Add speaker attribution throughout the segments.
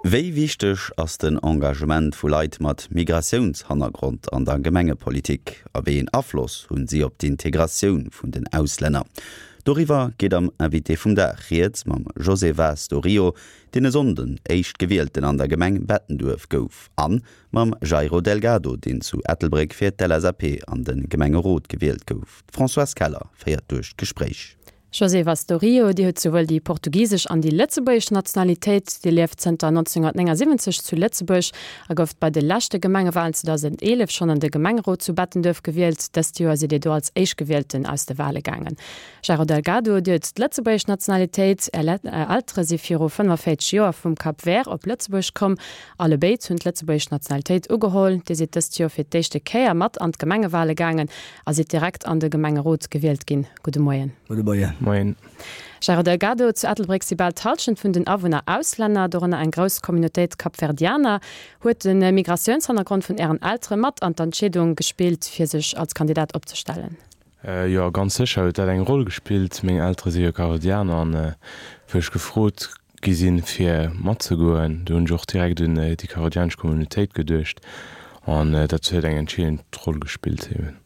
Speaker 1: Wéi wichteg ass den Engagement vu Leit mat Migratiounshannergrond an der Gemengepolitik a wéi een Afloss hunn si op d'Integratioun vun den Auslänner? Doriwwer geet am Invité vum Dag rieds mam José Vaz do Rio, deen e Sonnden Éischtgewielten an der Gemeng Bettenduerf gouf, a mam Jairo Delgado, deen zu Ettelbréck fir d'LSAP an de Gemengerot gewielt gouf. D'Françoise Keller féiert duerch d'Gespréich.
Speaker 2: José Vaz do Rio, Dir hutt souwuel déi portugisesch an déi lëtzebuergesch Nationalitéit. Dir lieft zënter 1979 zu Lëtzebuerg a gouft bei de leschte Gemengewalen 2011 schonn an de Gemengerot zu Bettenduerf gewielt. Dëst Joer sidd Dir do als Éischtgewielten aus de Wale gaangen. Jairo Delgado, Dir hutt d'lëtzebuergesch Nationalitéit. Är Eltere si viru 45 Joer vum Cap Vert op Lëtzebuerg komm. Allebéid hunn d'lëtzebuergesch Nationalitéit ugeholl. Dir sidd dëst Joer fir d'éischte Kéier mat an d'Gemengewale gaangen a sidd direkt an de Gemengerot gewielt ginn. Gudde Moien.
Speaker 3: Gudde Moien.
Speaker 4: Moien.
Speaker 2: Jairo Delgado, zu Ettelbréck si bal d'Hallschent vun den Awunner Auslänner, dorënner eng grouss Communautéit Kapverdianer. Huet de Migratiounshannergrond vun Ären Eltere mat an d'Entscheedung gespillt, fir sech als Kandidat opzestellen?
Speaker 4: Jo, ganz sécher huet dat eng Roll gespillt. Meng Eltere si jo Kapverdianer an wou ech gefrot gi sinn, fir matzegoen, do hunn ech och direkt un déi kapverdianesch Communautéit geduecht an dat huet eng entscheedend Roll gespillt eben.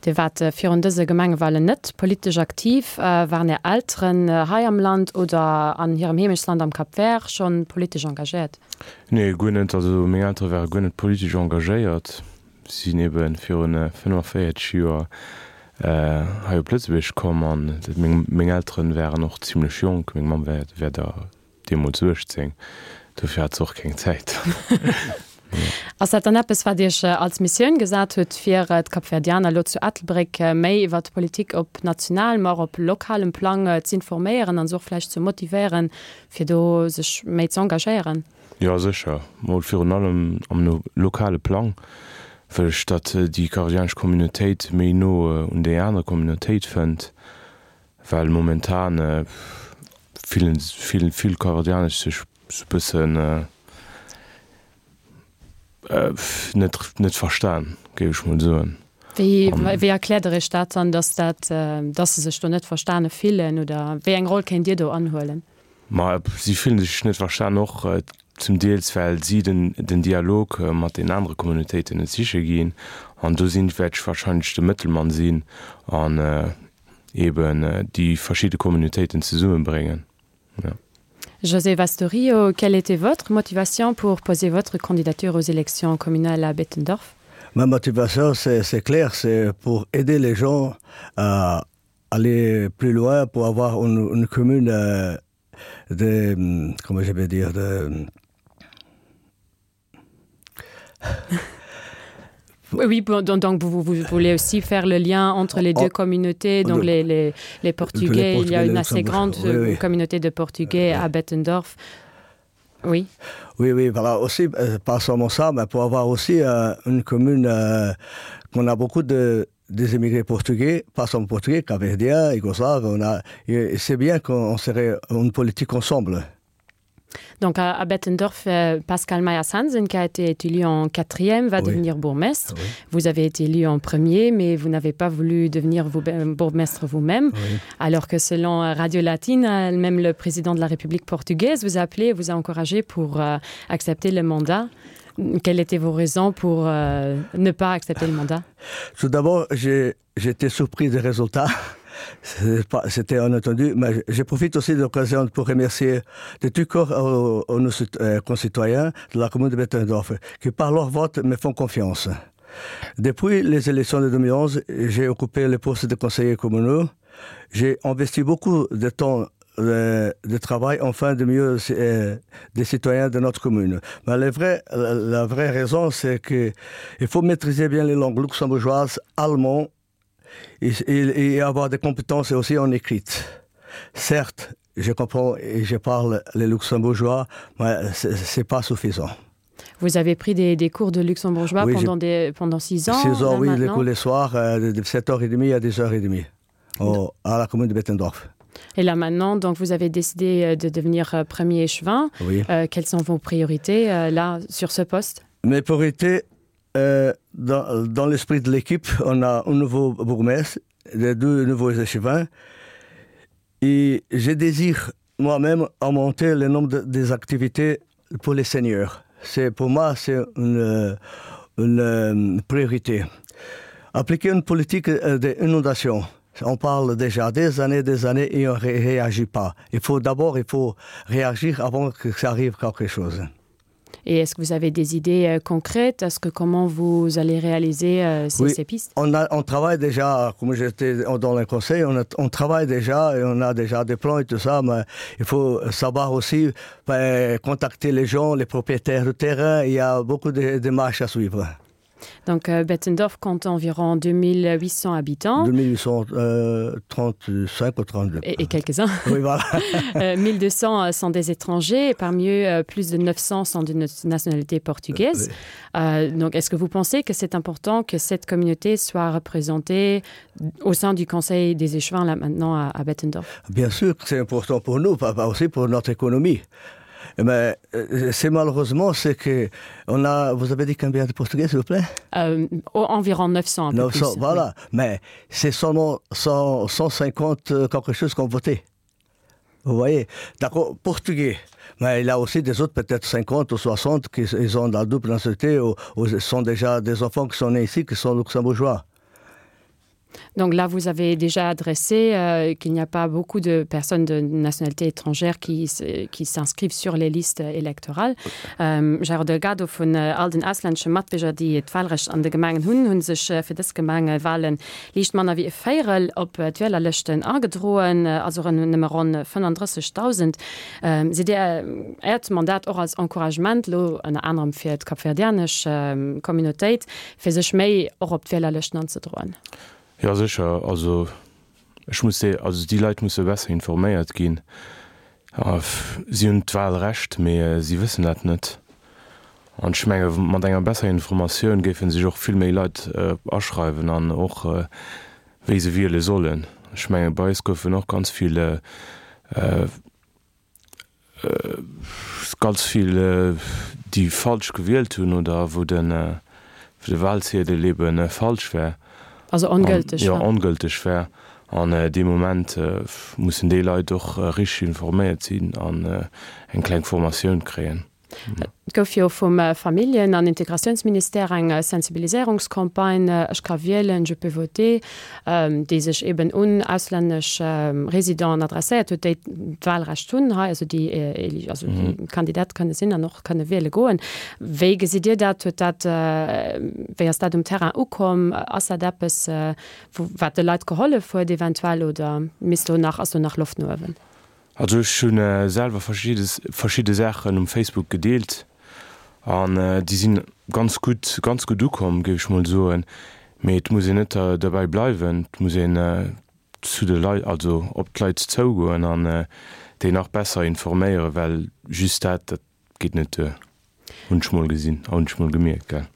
Speaker 2: Dir waart virun dëse Gemengewalen net politesch aktiv. Waren Är Elteren hei am Land oder an hirem Heemechtsland am Cap Vert schonn politesch engagéiert?
Speaker 4: Nee, guer net. Also meng Eltere ware guer net politesch engagéiert. Si sinn ebe viru 45 Joer hei op Lëtzebuerg komm an meng Eltere waren och zimmlech jonk. Meng Mamm war da Deemools 18, dofir hat se och keng Zäit.
Speaker 2: Ass dat dann eppes, wat Iech als Missioun gesat hutt, fir d'Kapverdianer elo zu Ettelbréck méi iwwer d'Politik op nationalem, ma och op lokalem Plang z'informéieren an se och vläicht ze motivéieren, fir do sech méi z'engagéieren?
Speaker 4: Jo, sécher. Mol virun allem am lokale Plang wëll ech, datt déi kapverdianesch Communautéit méi no un déi aner Communautéit fënnt. Well momentan fillen vill vill Kapverdianesch sech sou bëssen net net verstan, géif ech mol soen.
Speaker 2: Wéi wéi erkläert der iech dat dann, dass dat dass se sech do net verstane fillen oder wéi eng Roll kéint Dir do anhuelen?
Speaker 4: Ma si fillen sech net verstan, och zum Deels well si den den Dialog mat den anere Communautéiten net siche ginn an do sinn wäert ech wahrscheinlech de Mëttelmann sinn an eben déi verschidde Communautéiten zesummebréngen.
Speaker 2: Ja. José Vastorio, quelle était votre motivation pour poser votre candidature aux élections communales à Bettendorf?
Speaker 3: Ma motivation, c'est clair, c'est pour aider les gens à aller plus loin pour avoir une, une commune euh, de comment je vais dire de
Speaker 2: Oui, donc vous, vous voulez aussi faire le lien entre les deux oh, communautés, donc les, les, les Portugais, les Portugais, il y a une assez grande oui, oui. communauté de Portugais oui. à Bettendorf. Oui.
Speaker 3: Oui, oui, voilà, aussi, euh, pas seulement ça, mais pour avoir aussi euh, une commune euh, qu'on a beaucoup de, des émigrés portugais, pas seulement portugais, capverdiens, yougoslaves, on a, c'est bien qu'on serait une politique ensemble.
Speaker 2: Donc à, à Bettendorf, euh, Pascal Mayer-Hansen, qui a été élu en quatrième, va oui. devenir bourgmestre. Oui. Vous avez été élu en premier, mais vous n'avez pas voulu devenir vous, euh, bourgmestre vous-même. Oui. Alors que selon euh, Radio Latine, même le président de la République portugaise vous a appelé et vous a encouragé pour euh, accepter le mandat. Quelles étaient vos raisons pour euh, ne pas accepter le mandat
Speaker 3: Tout d'abord, j'étais surpris des résultats. C'était inattendu, mais je profite aussi de l'occasion pour remercier de tout corps aux, aux nos euh, concitoyens de la commune de Bettendorf qui par leur vote me font confiance. Depuis les élections de 2011, j'ai occupé le poste de conseiller communaux. J'ai investi beaucoup de temps de, de travail enfin de mieux euh, des citoyens de notre commune. Mais la vraie, la vraie raison, c'est qu'il faut maîtriser bien les langues luxembourgeoises, allemand et, et, et avoir des compétences aussi en écrite. Certes, je comprends et je parle les luxembourgeois, mais ce n'est pas suffisant.
Speaker 2: Vous avez pris des, des cours de luxembourgeois oui, pendant, des, pendant six ans
Speaker 3: Six ans, oui, les cours les soirs, euh, de 7h30 à 10h30 au, à la commune de Bettendorf.
Speaker 2: Et là maintenant, donc vous avez décidé euh, de devenir euh, premier échevin.
Speaker 3: Oui.
Speaker 2: Euh, quelles sont vos priorités euh, là sur ce poste
Speaker 3: Mes priorités euh, dans, dans l'esprit de l'équipe, on a un nouveau bourgmestre, les deux nouveaux échevins. Et je désire moi-même augmenter le nombre de, des activités. pour les seniors. C'est pour moi c'est une, une euh, priorité. Appliquer une politique euh, d'inondation. On parle déjà des années, des années et on ne réagit pas. Il faut d'abord il faut réagir avant que ça arrive quelque chose.
Speaker 2: Et est-ce que vous avez des idées euh, concrètes Est-ce que comment vous allez réaliser euh, ces, oui, ces pistes
Speaker 3: on, a, on travaille déjà, comme j'étais dans le conseil, on, a, on travaille déjà et on a déjà des plans et tout ça, mais il faut savoir aussi ben, contacter les gens, les propriétaires du terrain, il y a beaucoup de démarches à suivre.
Speaker 2: Donc euh, Bettendorf compte environ 2800 habitants.
Speaker 3: 2835 euh, ou 32.
Speaker 2: Et, et quelques-uns.
Speaker 3: Oui, voilà.
Speaker 2: 1200 euh, sont des étrangers et parmi eux, euh, plus de 900 sont de nationalité portugaise. Oui. Euh, donc est-ce que vous pensez que c'est important que cette communauté soit représentée au sein du conseil des échevins là maintenant à, à Bettendorf?
Speaker 3: Bien sûr que c'est important pour nous, pas aussi pour notre économie. Mais euh, c'est malheureusement ce que on a vous avez dit combien de portugais s'il vous plaît
Speaker 2: euh, environ 900,
Speaker 3: 900
Speaker 2: plus,
Speaker 3: voilà oui. mais c'est seulement 100, 150 euh, quelque chose qu'on votait vous voyez d'accord portugais mais il a aussi des autres peut-être 50 ou 60 qui ils ont la double nationalité ou, ou sont déjà des enfants qui sont nés ici qui sont luxembourgeois
Speaker 2: Donc là, vous avez déjà adressé euh, qu'il n'y a pas beaucoup de personnes de nationalité étrangère qui, qui s'inscrivent sur les listes électorales. Ähm, Jairo Delgado vun äh, all den auslännesche Matbierger, déi d'Wahlrecht an de Gemengen hunn, hunn sech äh, fir dës Gemengewahlen liicht manner wéi e Véierel op äh, d'Wielerlëschten agedroen, äh, also rënn nëmme ronn 35.000. Ähm, Sidd Dir äh, Äert Mandat och als Encouragement lo ënner anerem fir d'kapverdianesch äh, Communautéit, fir sech méi och op d'Wielerlëschten anzedroen?
Speaker 4: Jo sécher, also ech muss déi, also déi Leit musse besser informéiert ginn. Si hunn d'Wahlrecht, mee si wëssen dat net. An ech menge mat enger besserer Informatioun géife sech och vill méi Leit aschreiwen an och wéi se wiele sollen. Ech menge bei eis goufen och ganz vill Ganz vill déi falsch gewielt hunn oder wou de Wahlziedel ebe falsch war.
Speaker 2: Also ongülteg
Speaker 4: war. Jo, ongülteg war. An dee Moment mussen déi Leit och richteg informéiert sinn an eng kleng Formatioun kréien.
Speaker 2: Et gouf jo vum Familljen an Integratiounsministère eng Sensibiliséierungscampagne Ech ka wielen, je peux voter, déi sech eben un auslännesch Residenten adresséiert huet, déi d'Wahlrecht hunn hei, also déi also déi Kandidat kënne sinn an och kënne wiele goen. Wéi gesitt Dir dat? Huet dat, wéi ass dat um Terrain ukomm? Ass dat eppes, wou wat de Leit gehollef huet eventuell oder misst do nach, ass do nach Loft no uewen?
Speaker 4: Also ech hu selwer verschidde Saachen um Facebook gedeelt an déi sinn ganz gutt, ganz gutt ukomm, géif ech mol soen. Mee et muss een net derbäi bleiwen, et muss een zu de Leit, also op d'Leit zougoen an déi nach besser informéieren, well just dat, dat Geet net duer. Hunn ech mol gesinn a hunn ech mol gemierkt, gell.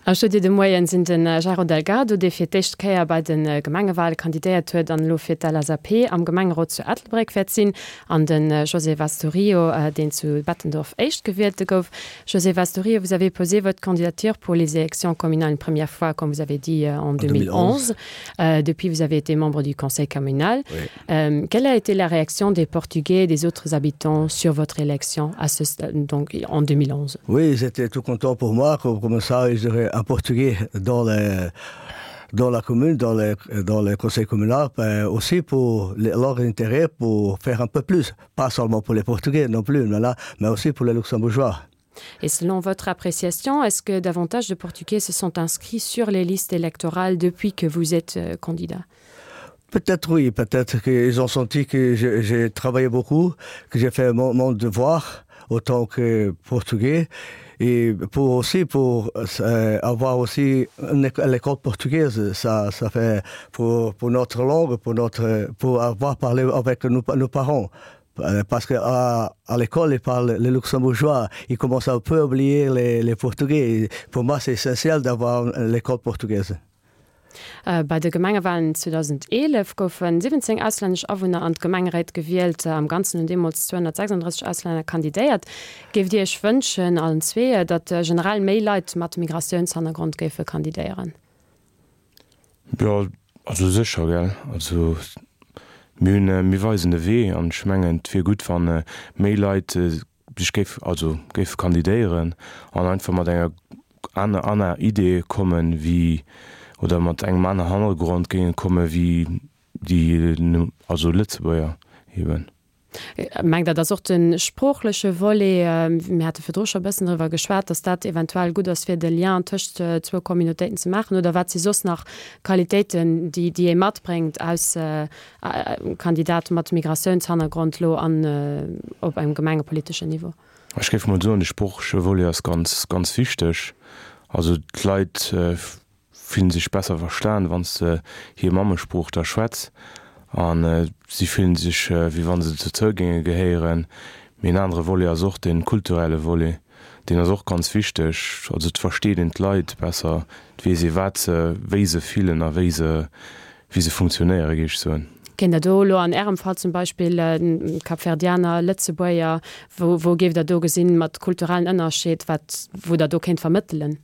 Speaker 2: Am Studio de Moien sinn de Jairo Delgado, dee fir d'éischt Kéier bei de Gemengewale kandidéiert huet an elo fir d'LSAP am Gemengerot zu Ettelbréck wäert sinn, an de José Vaz do Rio, deen zu Bettendorf Éischtgewielte gouf. José Vaz do Rio, vous avez posé votre candidature pour les élections communales une première fois, comme vous avez dit, en 2011. Depuis, vous avez été membre du conseil communal. Euh, quelle a été la réaction des Portugais et des autres habitants sur votre élection à ce, donc, en 2011
Speaker 3: Oui, ils étaient tout contents pour moi, comme, comme ça, ils auraient un Portugais dans les dans la commune, dans le, dans le conseil communal, ben, aussi pour les, leur intérêt pour faire un peu plus, pas seulement pour les Portugais non plus, mais, là, mais aussi pour les Luxembourgeois.
Speaker 2: Et selon votre appréciation, est-ce que davantage de Portugais se sont inscrits sur les listes électorales depuis que vous êtes euh, candidat
Speaker 3: Peut-être oui, peut-être qu'ils ont senti que j'ai travaillé beaucoup, que j'ai fait mon, mon devoir autant que portugais et pour aussi pour euh, avoir aussi l'école portugaise ça ça fait pour, pour notre langue pour notre pour avoir parlé avec nos, nos parents euh, parce que à, à l'école ils parlent les luxembourgeois ils commencent un peu à oublier les, les portugais pour moi c'est essentiel d'avoir l'école portugaise.
Speaker 2: Bei de Gemengewalen 2011 goufe 17 auslännesch Awunner an d'Gemengeréit gewielt. Am Ganzen hunn deemools 236 Auslänner kandidéiert. Géift Dir Iech wënschen, allen zwee, datt generell méi Leit mat Migratiounshannergrond géife kandidéieren?
Speaker 4: Jo, also sécher, gell. Also mir hunn, mir weisen de Wee an ech mengen, et wier gutt, wa méi Leit. sech géif, also géife kandidéieren an einfach mat enger aner aner Idee kommen wéi, oder mat engem aner Hannergrond géinge komme wéi déi, also Lëtzebuerger eben.
Speaker 2: Mengt Der, dass och de sproochleche Volet, mir hate virdru scho e bëssen driwwer geschwat, dass dat eventuell gutt ass, fir de Lien tëscht zwou Communautéiten ze maachen? Oder wat si soss nach Qualitéiten, déi déi ee matbréngt aus Kandidat mat Migratiounshannergrond elo an op engem gemengepoliteschen Niveau?
Speaker 4: Ech géif mol soen, de sproochleche Volet ass ganz, ganz wichteg. Also d'Leit fillen sech besser verstan, wann s de hir Mammesprooch da schwätz a si fillen sech, wéi wa se dozou géinge gehéieren. Mee en anere Volet ass och de kulturelle Volet, deen ass och ganz wichteg. Also et versteet een d'Leit besser, et weess ee wat se, wéi se fillen a wéi se, wéi se funktionéieren, géif ech soen.
Speaker 2: Kéint Der do elo an Ärem Fall zum Beispill, Kapverdianer, Lëtzebuerger, wou, wou géift Der do gesinn, mat kulturellen Ënnerscheed, wat, wou Der do kéint vermëttelen?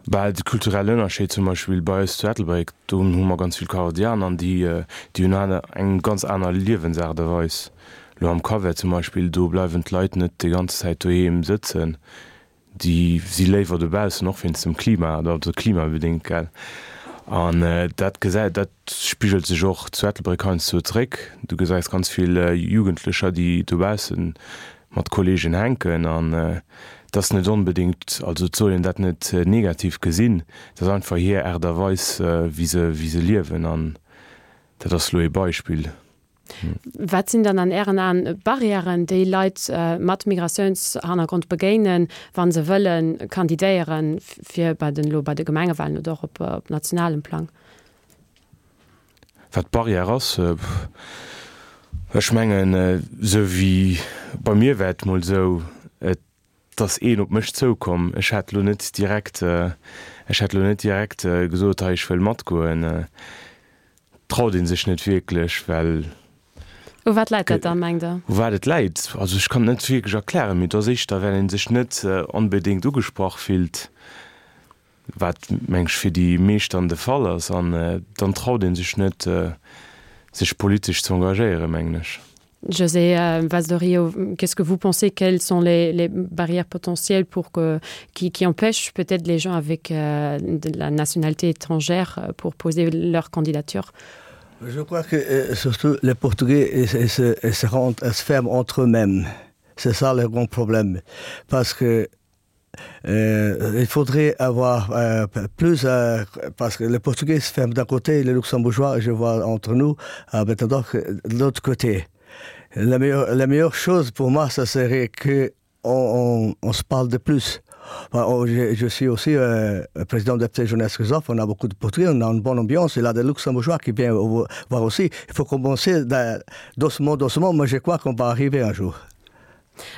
Speaker 4: Bah, de kulturellen Ënnerscheed zum Beispill bei eis zu Ettelbréck, do hu mer ganz vill Kapverdianer an déi, déi hunn aner, eng ganz aner Liewensaart a Weis. Elo am Cap-Vert zum Beispill, do bleiwen d'Leit net déi ganz Zäit doheem sëtzen, déi si léiwer dobaussen, och wéinst dem Klima, also klimabedéngt, gell. An dat gesäit, dat spigelt sech och zu Ettelbréck heiansdo zeréck. Du gesäis ganz vill Jugendlecher, déi dobaussen mat Kollegen hänken an et ass net onbedéngt, also et soll een dat net negativ gesinn, et ass einfach hir Aart a Weis wéi se wéi se liewen an dat ass elo ee Beispill.
Speaker 2: Wat sinn dann an Ären Aen Barrièren, déi Leit mat Migratiounshannergrond begéinen, wa se wëlle kandidéieren, fir bei den elo bei de Gemengewahlen oder och op nationalem Plang?
Speaker 4: Wat d'Barrière ass, ech mengen, esou wéi bei mir war et mol esou, et ass een op mech zoukomm. Ech hätt elo net direkt, ech hätt elo net direkt gesot, hei ech wëll matgoen. Traut ee sech net wierklech, well.
Speaker 2: U wat läit dat da, mengt Der?
Speaker 4: U wat et läit? Also ech kann et net wierklech erklären, mee et ass éischter, well ee sech net onbedéngt ugesprach fillt. Wat, meng ech, fir déi meescht dann de Fall ass. An dann traut ee sech net, sech politesch ze engagéieren, mengen ech.
Speaker 2: José Vaz do Rio, qu'est-ce que vous pensez, quelles sont les, les barrières potentielles pour que, qui, qui empêchent peut-être les gens avec euh, de la nationalité étrangère pour poser leur candidature?
Speaker 3: Je crois que euh, surtout les Portugais ils, ils se, ils se, rendent, ils se ferment entre eux-mêmes. C'est ça le grand problème. Parce que Euh, il faudrait avoir euh, plus euh, parce que les Portugais se ferment d'un côté les Luxembourgeois je vois entre nous euh, maintenant de l'autre côté. La meilleure, la meilleure chose pour moi ça serait que on, on, on se parle de plus. Enfin, oh, je, je suis aussi euh, président de la jeunesse Christophe, on a beaucoup de Portugais, on a une bonne ambiance, il y a des Luxembourgeois qui viennent voir aussi. Il faut commencer doucement, doucement, mais je crois qu'on va arriver un jour.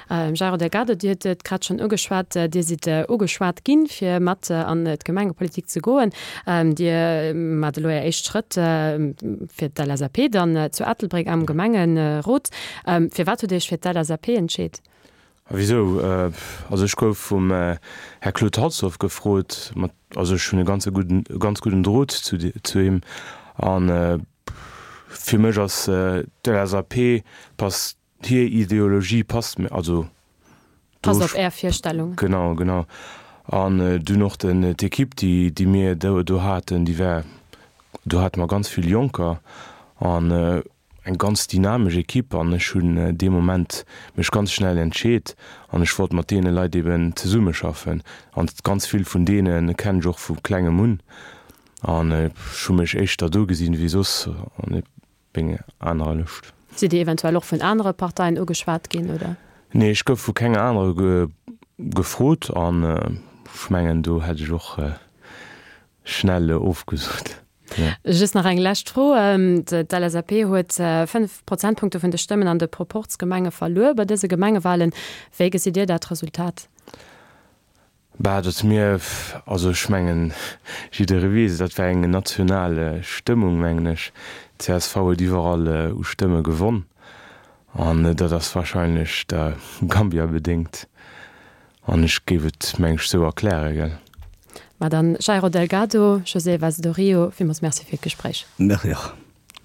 Speaker 2: Jairo Delgado, Dir hutt et grad schonn ugeschwat, Dir sidd ugeschwat ginn, fir mat an d'Gemengepolitik ze goen. Dir maacht elo Är éischt Schrëtt fir d'LSAP dann zu Ettelbréck am Gemengerot. Firwat hutt Dir Iech fir d'LSAP entscheet?
Speaker 4: A wisou? Also ech gouf vum Här Claude Halsdorf gefrot, mat, also ech hunn e ganze gudden, e ganz gudden Drot zu zu him an fir mech ass d'LSAP passt Hir Ideologie passt mir, also
Speaker 2: do. Passt op Är Virstellungen.
Speaker 4: Genau, genau. An dunn och den, d'Ekipp, déi, déi mir do, do haten, déi war, do hate mer ganz vill Jonker an eng ganz dynamesch Ekipp an ech hunn dee Moment mech ganz schnell entscheet an ech wollt mat deene Leit eben zesummeschaffen an ganz vill vun deene kennen ech och vu klengem un an ech hu mech éischter do gesinn wéi soss an Meng anerer Lëscht.
Speaker 2: Sidd Dir eventuell och vun anere Parteien ugeschwat ginn, oder?
Speaker 4: Nee, ech gouf vu kenger anerer gefrot an ech mengen do hätt ech och schnell ofgesot.
Speaker 2: Just nach eng lescht Fro, D'LSAP huet 5 Prozentpunkte vun de Stëmmen an de Proporzgemenge verluer bei dëse Gemengewalen. Wéi gesitt Dir dat Resultat?
Speaker 4: Bah, datt mir, also ech mengen, jidderee weess et, dat war eng national Stëmmung, mengen ech. Csv huet iwwerall u Stëmme gewonn an dat ass wahrscheinlech der Gambia bedéngt an ech géif et, meng ech, esou erklären, gell.
Speaker 2: Ma dann, Jairo Delgado, José Vaz do Rio, villmools Merci fir d'Gespréich.
Speaker 3: Merci och.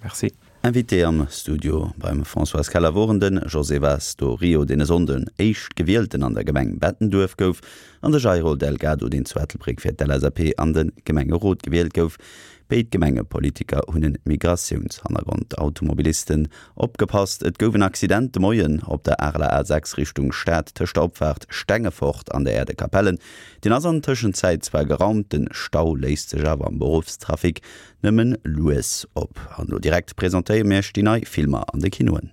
Speaker 4: Merci.
Speaker 1: Invité am Studio beim Françoise Keller woren de José Vaz do Rio, deen e Sonnden Éischtgewielten an der Gemeng Bettenduerf gouf, an de Jairo Delgado, deen zu Ettelbréck fir d'LSAP an de Gemengerot gewielt gouf. Béid Gemengepolitiker hunn e Migratiounshannergrond. Automobilisten opgepasst, et gouf en Accident de Moien op der Areler A6 Richtung Stad tëscht der Opfaart Stengefort an der Aire de Capellen. Deen ass an Tëschenzäit zwar geraumt, den Stau léist sech awer am Beruffstrafic nëmmen lues op. An elo direkt presentéiere mir iech déi nei Filmer an de Kinoen.